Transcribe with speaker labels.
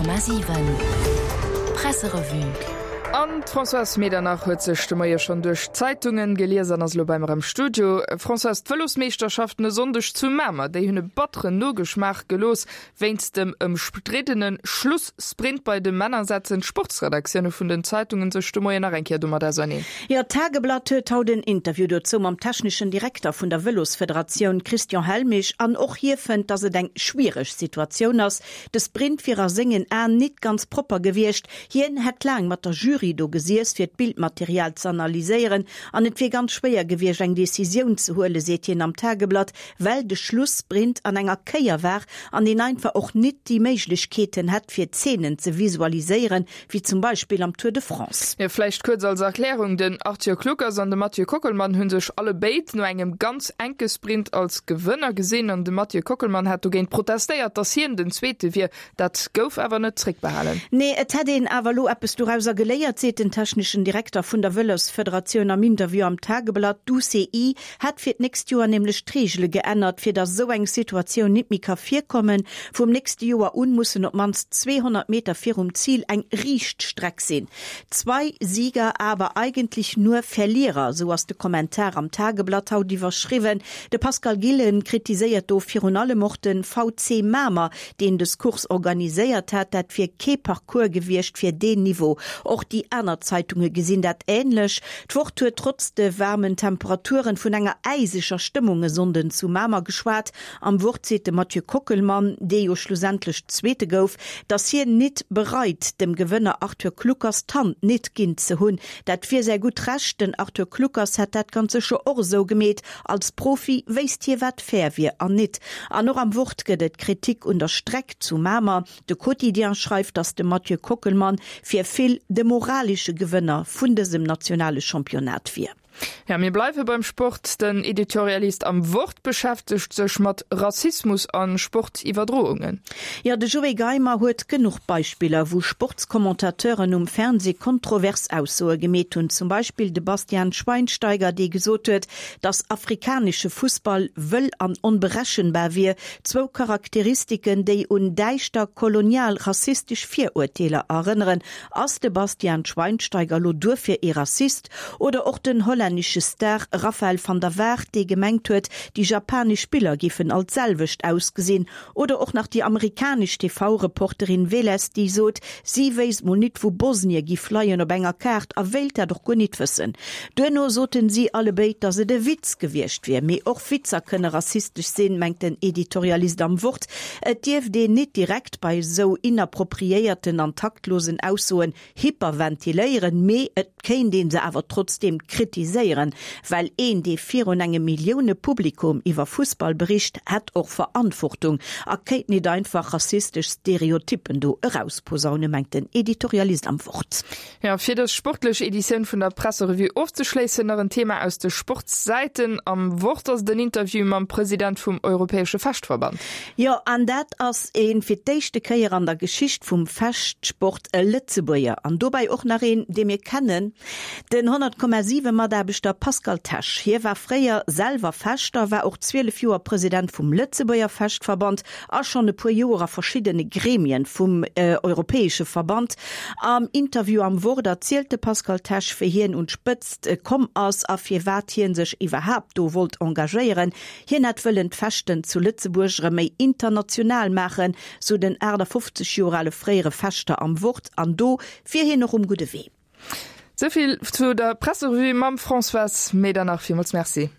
Speaker 1: 100,7 Presserevue.
Speaker 2: An d'Françoise Medernach huet sech de Moie schonn duerch d'Zeitungen gelies an ass elo bei mer am Studio. Françoise, d'Vëlosmeeschterschaften e Sonndeg zu Mamer, déi hunn e batteren Nogeschmaach gelooss. Wéinst dem ëmstriddene Schlussprint bei de Männer setzen d'Sportsredaktioune vun den Zeitungen sech de Moien nach eng Kéier domat auserneen.
Speaker 3: Jo, d'Tageblatt huet haut en Interview dozou mam techneschen Direkter vun der Vëlosfederatioun Christian Helmich an och hie fënnt, datt et eng schwiereg Situatioun ass. De Sprint wier a sengen Aen nit ganz propper gewiescht. Hien hätt laang mat der Jury do gesiess fir d'Bildmaterial ze analyséieren an et wier ganz schwéier gewiescht eng Decisioun ze huelen, seet hien am Tageblatt, well de Schlussprint an enger Kéier war an een einfach och nit déi Méiglechkeeten hätt fir Zeenen ze visualiséieren, wéi zum Beispill am Tour de France.
Speaker 2: Jo, vläicht kuerz als Erklärung, Den Arthur Kluckers an de Mathieu Kockelmann hu sech alle béid no engem ganz enke Sprint als Gewënner gesinn an de Mathieu Kockelmann hat dogéint protestéiert, datt hien den Zweete wier. Dat gouf awer net zréckbehalen.
Speaker 3: Nee, et hätt een awer elo eppes dorauser geléiert, seet den techneschen Direkter vun der Vëlosfederatioun am Interview am Tageblatt. D'UCI hätt fir d'nächst Joer nämlech d'Reegele geännert, fir datt esou eng Situatioun nit méi ka virkommen. Vum nächste Joer un mussen op d'mannst 200 Meter virum Zil eng riicht Streck sinn. Zwei Sieger, aber eigentlich nur Verlierer, esou ass de Kommentar am Tageblatt haut iwwerschriwwen. De Pascal Gillen kritiséiert do virun allem och de VC Mamer, deen des Course organiséiert hat. Dat wier kee Parcours gewiescht fir deen Niveau. Och déi aner Zeitunge gesinn dat änlech. D'Wort huet trotz de waarmen Temperaturen vun enger äiseger Stëmmung e Sonnden zu Mamer geschwat. Am Wort seet de Mathieu Kockelmann, dee jo schlussendlech Zweete gouf, datt hien nit bereit, dem Gewënner Arthur Kluckers d'Hand nit ginn ze hunn. Dat wier säi gutt Recht. Den Arthur Kluckers hätt dat ganz sécher och esou gemeet. Als Profi wéisst hie wat fair wier an nit. An och am Wort gëtt et Kritik un der Streck zu Mamer. De Quotidien schreift, datt de Mathieu Kockelmann fir vill de moralesche Gewënner vun dësem nationale Championnat wier.
Speaker 2: Ja, mir bleiwe beim Sport. Den Editorialist am Wort beschäftegt sech mat Rassismus a Sportiwwerdroungen.
Speaker 3: Jo, de Joé Geimer huet genuch Beispiller, wou Sportscommentateuren um Fernsee kontrovers Aussoe gemeet hunn. Zum Beispill de Bastian Schweinsteiger, dee gesot huet, datt afrikanesche Fussball wëll an onberechenbar wier, Zwou Charakteristiken, déi un däischter kolonial-rassistesch Virurteeler erënneren. Ass de Bastian Schweinsteiger lo duerfir ee Rassist? Oder och den hollännesche Star Rafael van der Vaart, dee gemengt huet, déi japanesch Spiller giffen all d'selwecht ausgesinn? Oder och nach déi amerikanesch TV-Reporterin Veles, déi sot, si wéisst mol nit, wou Bosnie giff leien op enger Kaart a wéilt dat och guer nit wëssen. Duerno soten si allebéid, datt et e Witz gewiescht wier. Mee och Witzer kënne rassistesch sinn, mengt den Editorialist am Wort. Et dierft een nit direkt bei esou inappropriéierten an taktlosen Aussoen hyperventiléieren, mee et kéint ee se awer trotzdeem kritiséieren, well een, dee virun engem Milliounepublikum iwwer Fussball bericht, hätt och Verantwortung a kéint nit einfach rassistesch Stereotyppen do erausposaunen, mengt den Editorialist am Wort.
Speaker 2: Jo, fir dës sportlech Editioun vun der Presserevue ofzeschléissen, nach en Thema aus de Sportssäiten. Am Wort ass et en Interview mam President vum Europäesche Fechtverband.
Speaker 3: Jo, an dat ass een, fir d'éischte Kéier an der Geschicht vum Fechtsport, e Lëtzebuerger. An dobäi och nach een, dee mir kennen, den 100,7 Mataarbechter Pascal Tesch. Hie war fréier selwer Fechter, war och 12 Joer President vum Lëtzebuerger Fechtverband a schonn e puer Joer a verschiddene Gremien vum europäesche Verband. Am Interview am Wort erzielt de Pascal Tesch, wéi hien un d'Spëtzt komm ass a firwat hien sech iwwerhaapt do wollt engagéieren. Hien hätt wëllen d'Fechten zu Lëtzebuerg erëm méi international maachen, sou den 58 Joer ale fréiere Fechter am Wort. An do wier hien och um gudde Wee.
Speaker 2: Souvill zu der Presserevue mam Françoise Medernach. Villmools Merci.